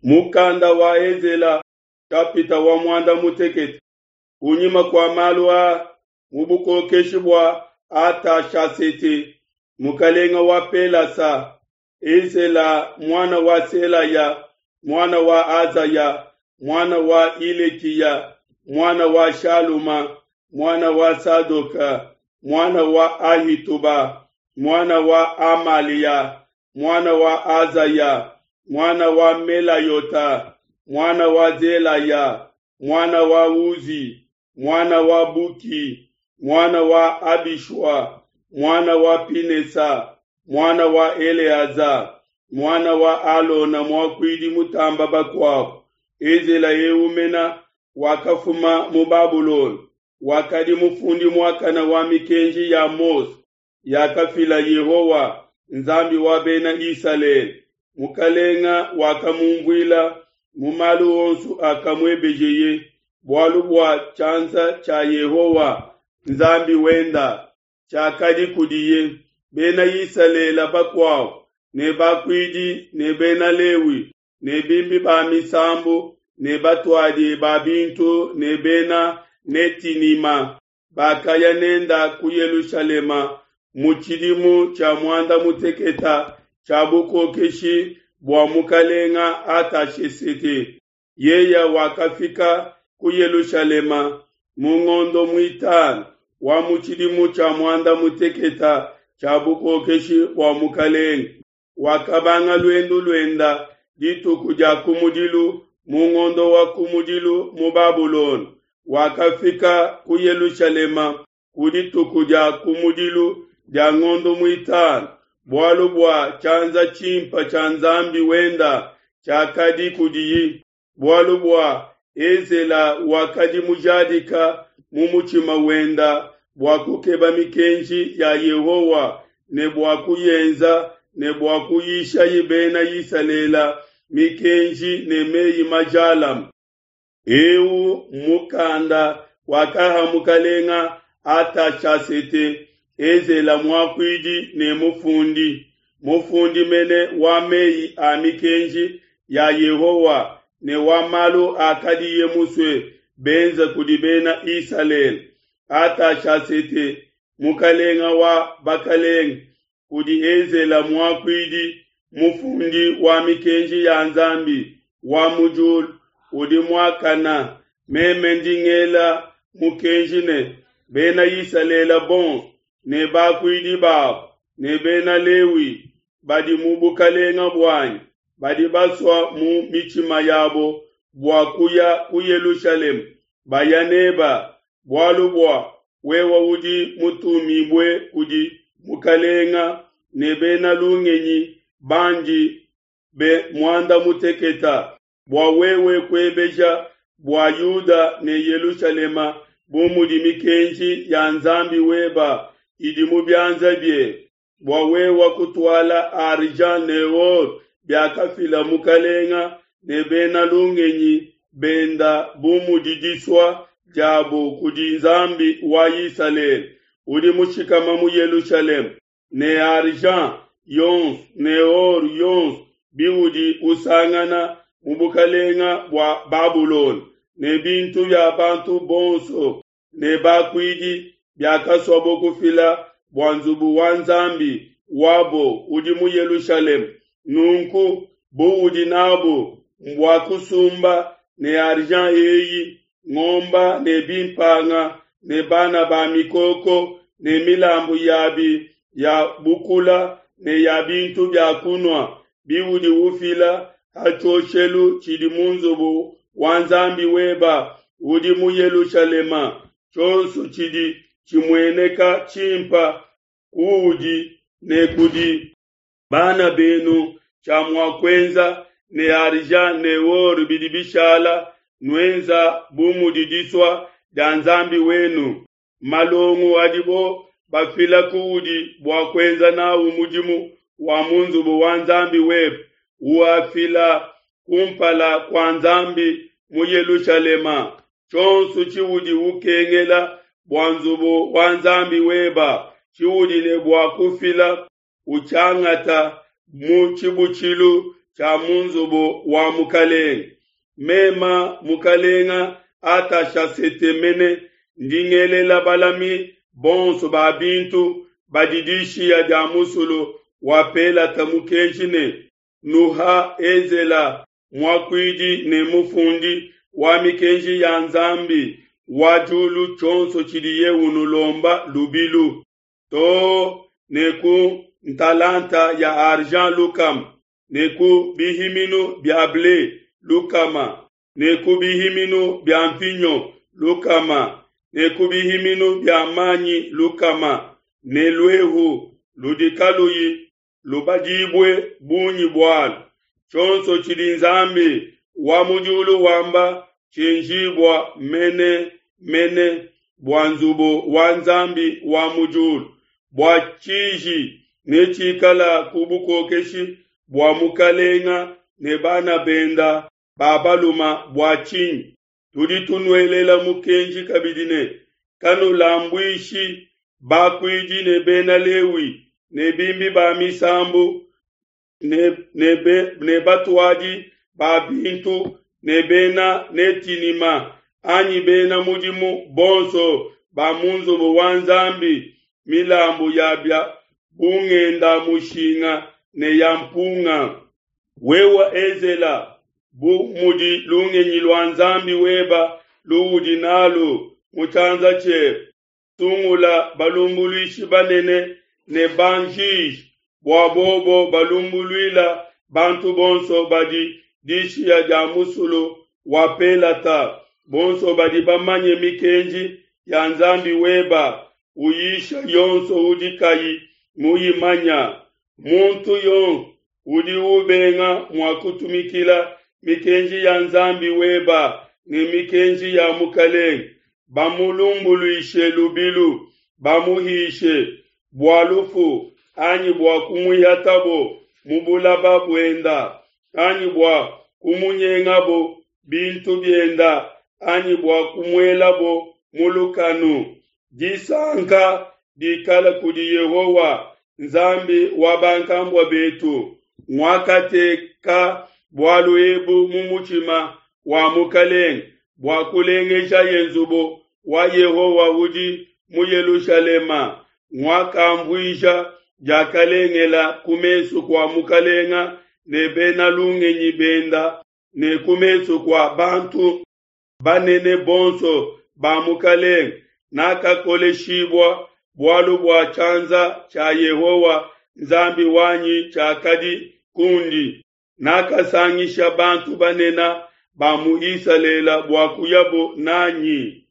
Mukanda wa Ezela kapita wa muanda mutekete. Kunyima kua malu aa, mu bukokeshi bua Atashasete, mukalenga wa Pelasa, Ezela muana wa Selaya, muana wa Azaya, muana wa Ilekiya, muana wa Shaluma, muana wa Sadoka, muana wa Ahituba, muana wa Amalia, muana wa Azaya, muana wa Melayota, muana wa Zelaya, muana wa Uzi, muana wa Buki, muana wa Abishua, muana wa Pinesa, muana wa Eleaza, muana wa Alona muakuidi mutamba bakuabu. Ezela eumena wakafuma mu Babulona, wakadi mufundi muakana wa mikenji ya Mose yakafila Yehowa Nzambi wa bena Isalele. Mukalenga wakamumvuila mu malu onso akamuebejeye, bualu bua tshianza tshia Yehowa Nzambi wenda tshiakadi kudiye. Bena Isalele bakuabu ne bakuidi ne bena Lewi ne bimbi ba misambu ne batuadi ba bintu ne bena Netinima bakaya nenda ku Yelushalema mu tshidimu tshia muanda muteketa tshia bukokeshi bua mukalenga Atashesete. Yeya wakafika ku Yelushalema mu ngondo muitanu wa mu tshidimu tshia muanda muteketa tshia bukokeshi bua mukalenga. Wakabanga luendu luenda dituku dia kumudilu mu ngondo wa kumudilu mu Babulona. Wakafika ku Yelushalema ku dituku dia kumudilu dia ngondo muitanu, bualu bua tshianza tshimpa tshia Nzambi wenda tshiakadi kudiyi, bualu bua Ezela wakadi mujadika mu mutshima wenda bua kukeba mikenji ya Yehowa ne bua kuyenza ne bua kuyishayi bena Isalele mikenji ne meyi majalame. Eu mukanda wakaha mukalenga Atashasete Ezela muakuidi ne mufundi, mufundi mene wa meyi a mikenji ya Yehowa ne wa malu akadiye musue benza kudi bena Isalele. Atashasete mukalenga wa bakalenga kudi Ezela muakuidi mufundi wa mikenji ya Nzambi wa mu diulu udi muakana meme ndi ngela mukenji ne bena Isalele bonso ne bakuidi babu ne bena Lewi badi mu bukalenga buanyi badi basua mu mitshima yabo bua kuya ku Yelushalema baya neba, bualu bua wewe udi mutumibue kudi mukalenga ne bena lungenyi bandi be muanda muteketa bua wewe kuebeja bua Yuda ne Yelushalema bu mudi mikenji ya Nzambi weba idi mu bianza bie, bua wewe kutuala argent ne or biakafila mukalenga ne bena lungenyi benda bu mudi disua diabo kudi Nzambi wa Isalele udi mushikama mu Yelushalema, ne argent yonso ne or yonso biudi usangana mu bukalenga bua Babulona, ne bintu bia bantu bonso ne bakuidi biakasuabo kufila bua nzubu wa Nzambi wabo udi mu Yelushalema. Nunku buudi nabu mbua kusumba ne argent eyi ngomba ne bimpanga ne bana ba mikoko ne milambu yabi ya bukula ne ya bintu bia kunua biudi ufila ha tshioshelu tshidi mu nzubu wa Nzambi weba udi mu Yelushalema. Tshionso tshidi tshimueneka tshimpa kuudi ne kudi bana benu tshia mua kuenza ne argent ne or bidi bishala, nuenza bu mudi disua dia Nzambi wenu. Malongo adibo bafila kuudi bua kuenza nawu mudimu wa mu nzubu wa Nzambi webe, uafila kumpala kua Nzambi mu Yelushalema. Tshionso tshiudi ukengela bua nzubu wa Nzambi weba tshiudi ne bua kufila, utshiangata mu tshibutshilu. tshia mu nzubu wa mukalenge. Mema mukalenga Atashasete mene ndi ngelela balami bonso ba bintu badi dishiya dia musulu wa Pelata mukenji ne, Nuha Ezela muakuidi ne mufundi wa mikenji ya Nzambi wa diulu tshionso tshidiye unulomba lubilu, too ne ku ntalanta ya argent lukama, ne ku bihiminu bia ble lukama, ne ku bihiminu bia mvinyo lukama, ne ku bihiminu bia manyi lukama, ne luehu ludi kaluyi lubadibue bungi bualu. Tshionso tshidi Nzambi wa mu diulu wamba tshienjibua mene mene bua nzubu wa Nzambi wa mu diulu, bua tshiji netshikala ku bukokeshi bua mukalenga ne bana benda ba baluma bua tshinyi? Tudi tunuelela mukenji kabidi ne, kanulambuishi bakuidi ne bena Lewi ne bimbi ba misambu ne, ne, be, ne batuadi ba bintu ne bena Netinima anyi bena mudimu bonso ba mu nzubu wa Nzambi milambu ya bia bungenda mushinga ne ya mpunga. Wewe Ezela, bu mudi lungenyi lua Nzambi weba luudi nalu mu tshianza tshiebe, sungula balumbuluishi banene ne banjiji bua bobo balumbuluila bantu bonso badi dishiya dia musulu wa Pelata, bonso badi bamanye mikenji ya Nzambi weba, uyisha yonso udi kayi muyimanya. Muntu yonso udi ubenga mua kutumikila mikenji ya Nzambi weba ne mikenji ya mukalenge, bamulumbuluishe lubilu, bamuhishe bua lufu anyi bua kumuihatabo mu bulaba buenda, anyi bua kumunyengabo bintu bienda, anyi bua kumuelabo mu lukanu. Disanka dikala kudi Yehowa Nzambi wa bankambua betu, nguakateka bualu ebu mu mutshima wa mukalenge bua kulengejaye nzubu wa Yehowa udi mu Yelushalema, nguakamvuija diakalengela ku mesu kua mukalenga ne bena lungenyi benda ne ku mesu kua bantu banene bonso ba mukalenge. Nakakoleshibua bualu bua tshianza tshia Yehowa Nzambi wanyi tshiakadi kundi. Nakasangisha bantu banene ba mu Isalele bua kuyabo nanyi.